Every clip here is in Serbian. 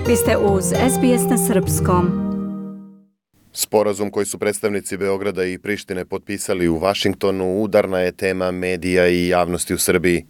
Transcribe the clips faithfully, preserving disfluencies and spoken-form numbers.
Vi ste uz S B S na srpskom. Sporazum koji su predstavnici Beograda i Prištine potpisali u Vašingtonu udarna je tema medija i javnosti u Srbiji.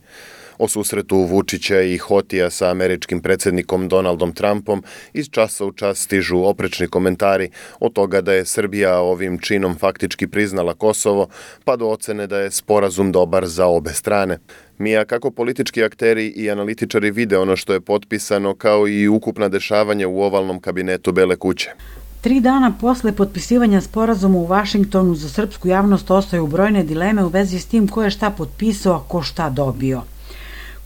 O susretu Vučića i Hotija sa američkim predsjednikom Donaldom Trumpom iz časa u čas stižu oprečni komentari od toga da je Srbija ovim činom faktički priznala Kosovo, pa do ocene da je sporazum dobar za obe strane. Mija, kako politički akteri i analitičari vide ono što je potpisano, kao i ukupna dešavanja u ovalnom kabinetu Bele kuće? Tri dana posle potpisivanja sporazuma u Vašingtonu za srpsku javnost ostaju brojne dileme u vezi s tim ko je šta potpisao, a ko šta dobio.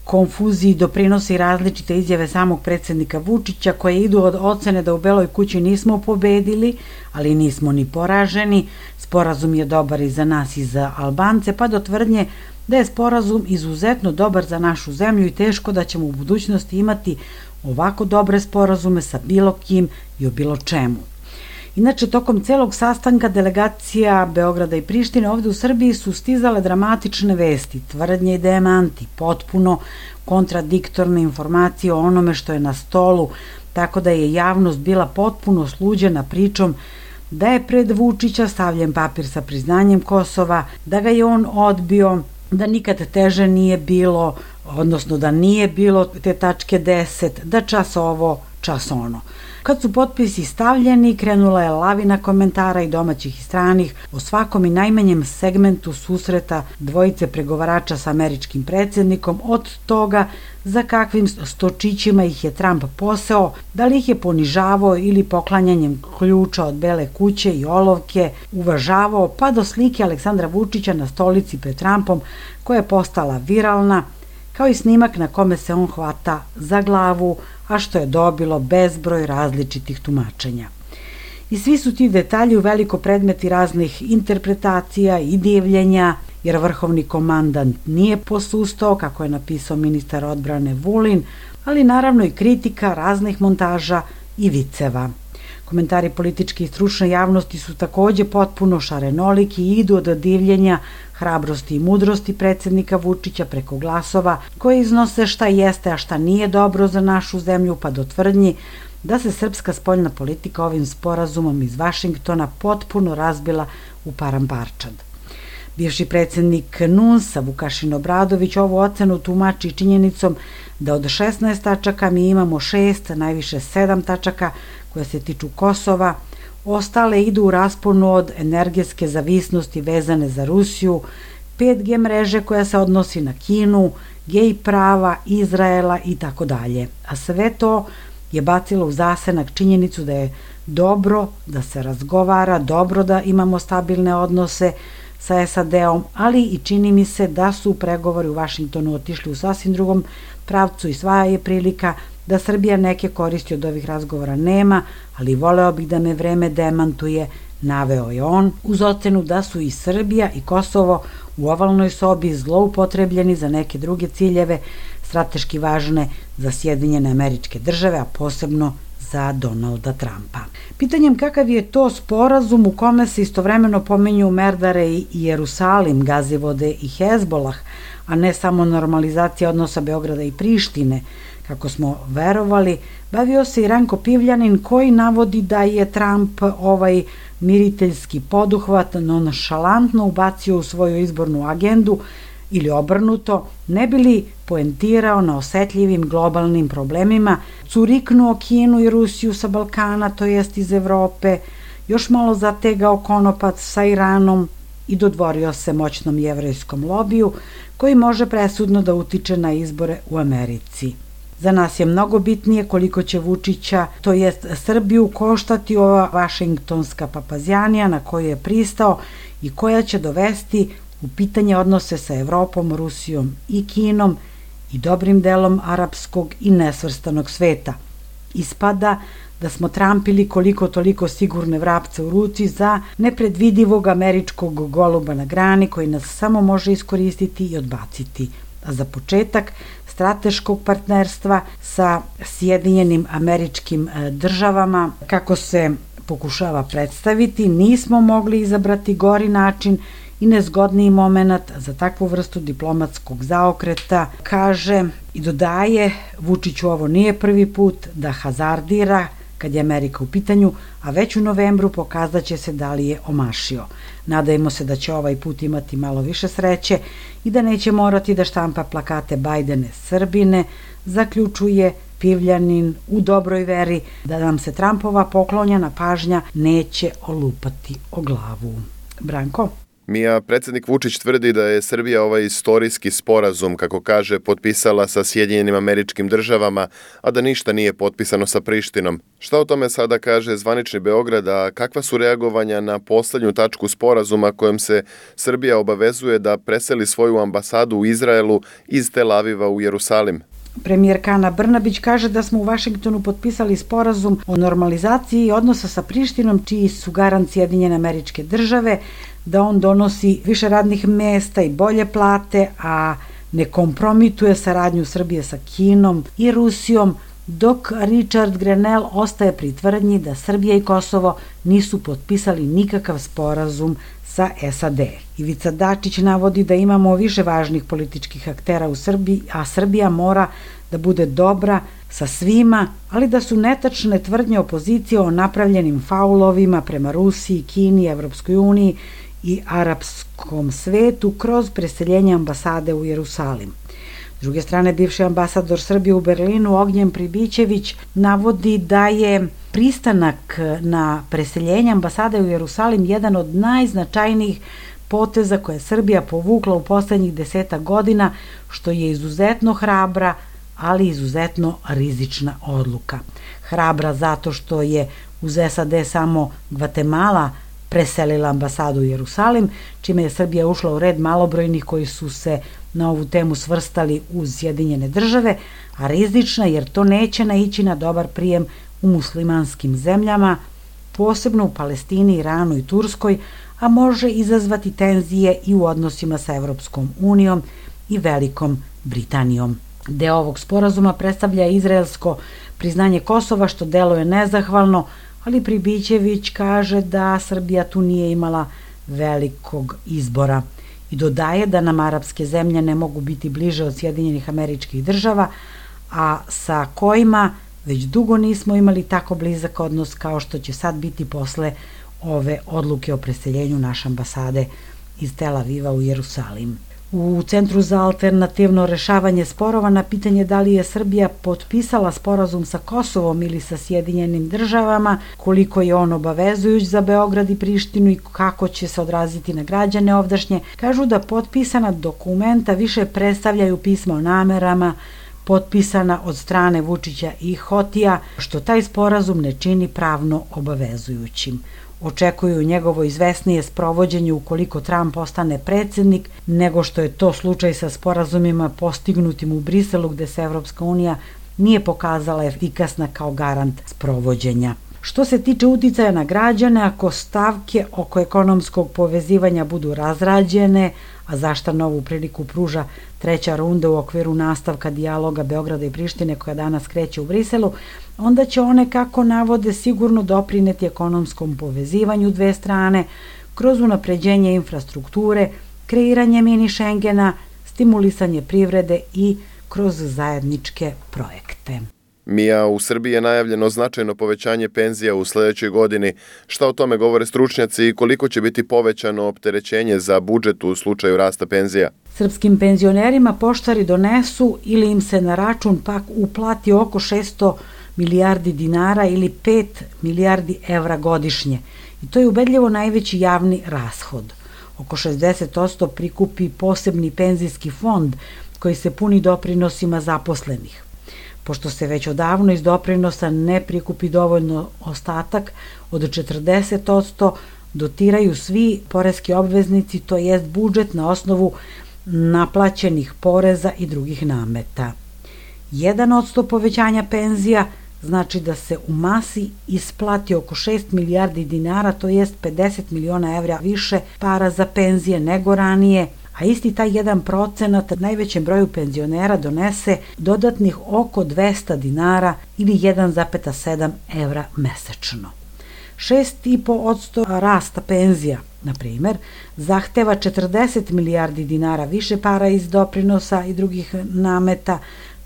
Konfuziji doprinose i različite izjave samog predsjednika Vučića koje idu od ocene da u Beloj kući nismo pobedili, ali nismo ni poraženi, sporazum je dobar i za nas i za Albance, pa do tvrdnje da je sporazum izuzetno dobar za našu zemlju i teško da ćemo u budućnosti imati ovako dobre sporazume sa bilo kim i o bilo čemu. Inače, tokom celog sastanka delegacija Beograda i Prištine ovde u Srbiji su stizale dramatične vesti, tvrdnje i demanti, potpuno kontradiktorne informacije o onome što je na stolu, tako da je javnost bila potpuno sluđena pričom da je pred Vučića stavljen papir sa priznanjem Kosova, da ga je on odbio, da nikad teže nije bilo, odnosno da nije bilo te tačke deset, da čas ovo, čas ono. Kad su potpisi stavljeni, krenula je lavina komentara i domaćih i stranih o svakom i najmanjem segmentu susreta dvojice pregovarača sa američkim predsjednikom, od toga za kakvim stočićima ih je Trump poseo, da li ih je ponižavao ili poklanjanjem ključa od Bele kuće i olovke uvažavao, pa do slike Aleksandra Vučića na stolici pred Trumpom koja je postala viralna, kao i snimak na kome se on hvata za glavu, a što je dobilo bezbroj različitih tumačenja. I svi su ti detalji u veliko predmeti raznih interpretacija i divljenja, jer vrhovni komandant nije posustao, kako je napisao ministar odbrane Vulin, ali naravno i kritika raznih montaža i viceva. Komentari političke i stručne javnosti su takođe potpuno šarenoliki i idu od divljenja, hrabrosti i mudrosti predsjednika Vučića preko glasova koje iznose šta jeste, a šta nije dobro za našu zemlju, pa do tvrdnji da se srpska spoljna politika ovim sporazumom iz Vašingtona potpuno razbila u paramparčad. Bivši predsjednik N U N S-a Vukašin Obradović ovu ocenu tumači činjenicom da od šesnaest tačaka mi imamo šest, najviše sedam tačaka koje se tiču Kosova, ostale idu u rasponu od energetske zavisnosti vezane za Rusiju, pet G mreže koja se odnosi na Kinu, gej prava, Izraela i tako dalje. A sve to je bacilo u zasenak činjenicu da je dobro da se razgovara, dobro da imamo stabilne odnose sa S A D-om, ali i čini mi se da su pregovori u Vašingtonu otišli u sasvim drugom pravcu i sva je prilika da Srbija neke koristi od ovih razgovora nema, ali voleo bih da me vreme demantuje, naveo je on, uz ocenu da su i Srbija i Kosovo u ovalnoj sobi zloupotrebljeni za neke druge ciljeve, strateški važne za Sjedinjene Američke Države, a posebno za Donalda Trumpa. Pitanjem kakav je to sporazum u kome se istovremeno pominju Merdare i Jerusalim, Gazivode i Hezbolah, a ne samo normalizacija odnosa Beograda i Prištine, kako smo verovali, bavio se i Ranko Pivljanin koji navodi da je Trump ovaj miriteljski poduhvat nonšalantno ubacio u svoju izbornu agendu ili obrnuto, ne bi li poentirao na osetljivim globalnim problemima, curiknuo Kinu i Rusiju sa Balkana, to jest iz Evrope, još malo zategao konopac sa Iranom i dodvorio se moćnom jevrejskom lobiju koji može presudno da utiče na izbore u Americi. Za nas je mnogo bitnije koliko će Vučića, to jest Srbiju, koštati ova vašingtonska papazjanija na koju je pristao i koja će dovesti u pitanje odnose sa Evropom, Rusijom i Kinom i dobrim delom arapskog i nesvrstanog sveta. Ispada da smo trampili koliko toliko sigurne vrapce u ruci za nepredvidivog američkog goluba na grani koji nas samo može iskoristiti i odbaciti. A za početak strateškog partnerstva sa Sjedinjenim Američkim Državama, kako se pokušava predstaviti, nismo mogli izabrati gori način i nezgodniji moment za takvu vrstu diplomatskog zaokreta, kaže I dodaje, Vučiću ovo nije prvi put da hazardira kad je Amerika u pitanju, a već u novembru pokazat će se da li je omašio. Nadajmo se da će ovaj put imati malo više sreće i da neće morati da štampa plakate Bajdene Srbine, zaključuje Pivljanin u dobroj veri da nam se Trumpova poklonjena pažnja neće olupati o glavu. Branko? Mija, predsjednik Vučić tvrdi da je Srbija ovaj istorijski sporazum, kako kaže, potpisala sa Sjedinjenim Američkim Državama, a da ništa nije potpisano sa Prištinom. Šta o tome sada kaže zvanični Beograd, a kakva su reagovanja na poslednju tačku sporazuma kojom se Srbija obavezuje da preseli svoju ambasadu u Izraelu iz Tel Aviva u Jerusalim? Premijerka Ana Brnabić kaže da smo u Vašingtonu potpisali sporazum o normalizaciji odnosa sa Prištinom, čiji su garant Sjedinjene Američke Države, da on donosi više radnih mesta i bolje plate, a ne kompromituje saradnju Srbije sa Kinom i Rusijom, dok Richard Grenell ostaje pri tvrdnji da Srbija i Kosovo nisu potpisali nikakav sporazum sa S A D. Ivica Dačić navodi da imamo više važnih političkih aktera u Srbiji, a Srbija mora da bude dobra sa svima, ali da su netačne tvrdnje opozicije o napravljenim faulovima prema Rusiji, Kini, Evropskoj uniji i arapskom svetu kroz preseljenje ambasade u Jerusalim. S druge strane, bivši ambasador Srbije u Berlinu Ognjen Pribićević navodi da je pristanak na preseljenje ambasade u Jerusalim jedan od najznačajnijih poteza koje je Srbija povukla u poslednjih desetak godina, što je izuzetno hrabra, ali izuzetno rizična odluka. Hrabra zato što je uz S A D samo Gvatemala preselila ambasadu u Jerusalim, čime je Srbija ušla u red malobrojnih koji su se na ovu temu svrstali uz Sjedinjene Države, a rizična jer to neće naići na dobar prijem u muslimanskim zemljama, posebno u Palestini, Iranu i Turskoj, a može izazvati tenzije i u odnosima sa Evropskom unijom i Velikom Britanijom. Deo ovog sporazuma predstavlja izraelsko priznanje Kosova, što deluje nezahvalno, ali Pribićević kaže da Srbija tu nije imala velikog izbora i dodaje da nam arapske zemlje ne mogu biti bliže od Sjedinjenih Američkih Država, a sa kojima već dugo nismo imali tako blizak odnos kao što će sad biti posle ove odluke o preseljenju naše ambasade iz Tel Aviva u Jerusalim. U Centru za alternativno rešavanje sporova na pitanje da li je Srbija potpisala sporazum sa Kosovom ili sa Sjedinjenim Državama, koliko je on obavezujuć za Beograd i Prištinu i kako će se odraziti na građane ovdašnje, kažu da potpisana dokumenta više predstavljaju pisma o namerama, potpisana od strane Vučića i Hotija, što taj sporazum ne čini pravno obavezujućim. Očekuju njegovo izvesnije sprovođenje ukoliko Trump ostane predsjednik, nego što je to slučaj sa sporazumima postignutim u Briselu, gde se Evropska unija nije pokazala efikasna kao garant sprovođenja. Što se tiče uticaja na građane, ako stavke oko ekonomskog povezivanja budu razrađene, a zašta novu priliku pruža treća runda u okviru nastavka dijaloga Beograda i Prištine koja danas kreće u Briselu, onda će one, kako navode, sigurno doprineti ekonomskom povezivanju dve strane kroz unapređenje infrastrukture, kreiranje mini Šengena, stimulisanje privrede i kroz zajedničke projekte. Mija, u Srbiji je najavljeno značajno povećanje penzija u sledećoj godini. Šta o tome govore stručnjaci i koliko će biti povećano opterećenje za budžet u slučaju rasta penzija? Srpskim penzionerima poštari donesu ili im se na račun pak uplati oko šesto milijardi dinara ili pet milijardi evra godišnje. I to je ubedljivo najveći javni rashod. Oko šezdeset posto prikupi posebni penzijski fond koji se puni doprinosima zaposlenih. Pošto se već odavno iz doprinosa ne prikupi dovoljno ostatak od četrdeset posto, dotiraju svi poreski obveznici, to jest budžet na osnovu naplaćenih poreza i drugih nameta. jedan posto povećanja penzija znači da se u masi isplati oko šest milijardi dinara, to jest pedeset miliona evra više para za penzije nego ranije, a isti taj jedan procenat najvećem broju penzionera donese dodatnih oko dvesta dinara ili jedan zarez sedam evra mesečno. šest zarez pet posto rasta penzija, na primer, zahteva četrdeset milijardi dinara više para iz doprinosa i drugih nameta,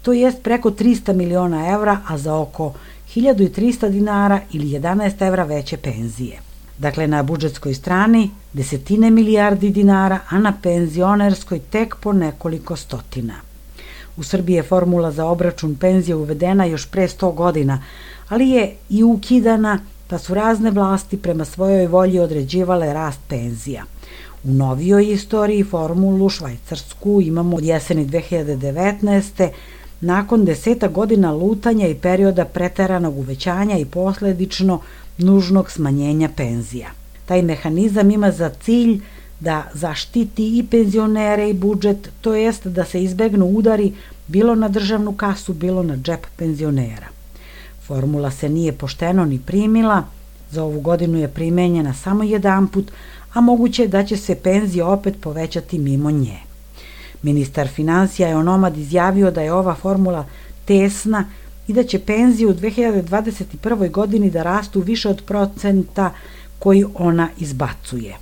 to jest preko trista miliona evra, a za oko hiljadu trista dinara ili jedanaest evra veće penzije. Dakle, na budžetskoj strani desetine milijardi dinara, a na penzionerskoj tek po nekoliko stotina. U Srbiji je formula za obračun penzije uvedena još pre sto godina, ali je i ukidana, pa su razne vlasti prema svojoj volji određivale rast penzija. U novijoj istoriji formulu švajcarsku imamo od jeseni dve hiljade devetnaeste. nakon deseta godina lutanja i perioda preteranog uvećanja i posledično nužnog smanjenja penzija. Taj mehanizam ima za cilj da zaštiti i penzionere i budžet, to jest da se izbegnu udari bilo na državnu kasu, bilo na džep penzionera. Formula se nije pošteno ni primila, za ovu godinu je primenjena samo jedanput, a moguće je da će se penzije opet povećati mimo nje. Ministar finansija je onomad izjavio da je ova formula tesna i da će penzije u dve hiljade dvadeset prvoj. godini da rastu više od procenta koji ona izbacuje.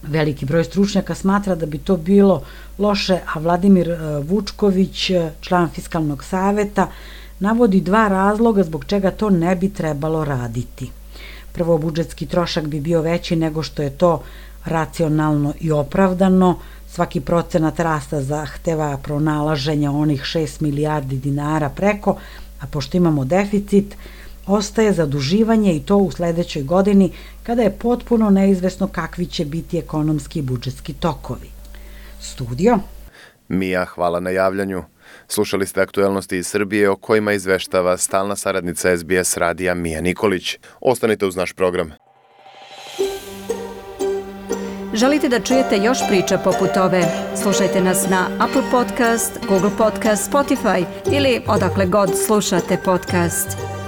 Veliki broj stručnjaka smatra da bi to bilo loše, a Vladimir Vučković, član Fiskalnog saveta, navodi dva razloga zbog čega to ne bi trebalo raditi. Prvo, budžetski trošak bi bio veći nego što je to racionalno i opravdano. Svaki procenat rasta zahteva pronalaženja onih šest milijardi dinara preko, a pošto imamo deficit, ostaje zaduživanje i to u sledećoj godini kada je potpuno neizvesno kakvi će biti ekonomski i budžetski tokovi. Studio. Mija, hvala na javljanju. Slušali ste aktuelnosti iz Srbije o kojima izveštava stalna saradnica S B S radija Mija Nikolić. Ostanite uz naš program. Želite da čujete još priča poput ove? Slušajte nas na Apple Podcast, Google Podcast, Spotify ili odakle god slušate podcast.